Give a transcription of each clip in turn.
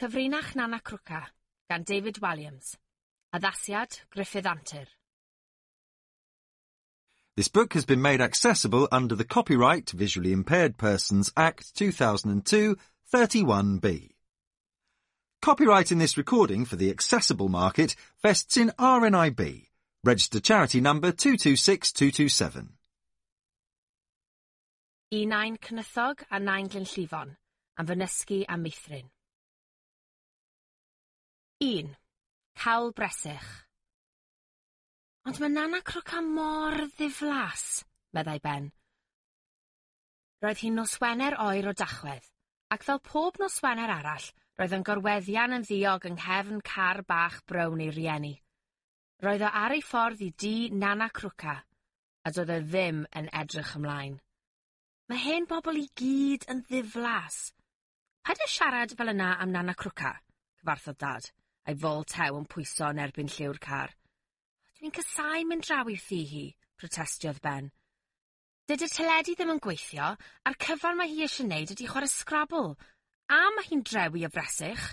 Cyfrinach Nana Crwca gan David Walliams. Addasiad Gruffudd Antur. This book has been made accessible under the Copyright Visually Impaired Persons Act 2002 31B. Copyright in this recording for the accessible market vests in RNIB, registered charity number 226227. I Nain Cynythog a Nain Glynllifon am fy nysgu a meithrin. 1. Cawl bresych. Ond mae Nana Crwca mor ddiflas, meddai Ben. Roedd hi'n nos Wener oer o Dachwedd, ac fel pob nos Wener arall, roedd yn gorweddian yn ddiog yng nghefn car bach brown ei rieni. Roedd o ar ei ffordd i dŷ Nana Crwca, a doedd e ddim yn edrych ymlaen. Mae hen bobl i gyd yn ddiflas. Paid â siarad fel yna am Nana Crwca, cyfarthodd Dad, a'i fol tew yn pwyso yn erbyn lliw'r car. Dwi'n casáu mynd draw i'w thŷ hi, protestiodd Ben. Dydy'r teledu ddim yn gweithio, a'r cyfan mae hi eisiau wneud ydy chwarae Scrabble, a mae hi'n drewi o fresych.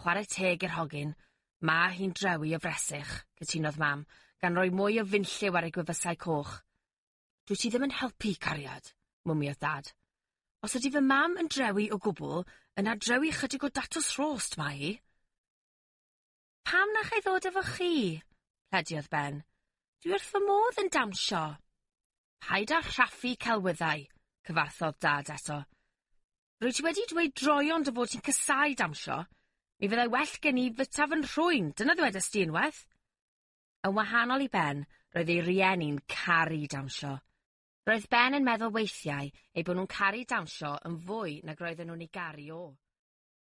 Chwarae teg i'r hogyn, mae hi'n drewi o fresych, cytunodd Mam, gan roi mwy o finlliw ar ei gwefusau coch. Dwyt ti ddim yn helpu, cariad, mwmiodd Dad. Os ydy fy mam yn drewi o gwbl, yna drewi chydig o datws rhost mae hi. Pam na chai ddod efo chi? plediodd Ben. Dwi wrth fy modd yn dawnsio. Paid â rhaffu celwyddau, cyfarthodd Dad eto. Rwyt ti wedi dweud droeon dy fod ti'n casáu dawnsio. Mi fyddai well gen i fyta fy nhrwyn, dyna ddwedest di unwaith. Yn wahanol i Ben, roedd ei rieni'n caru dawnsio. Roedd Ben yn meddwl weithiau eu bod nhw'n caru dawnsio yn fwy nag roedden nhw'n ei garu o.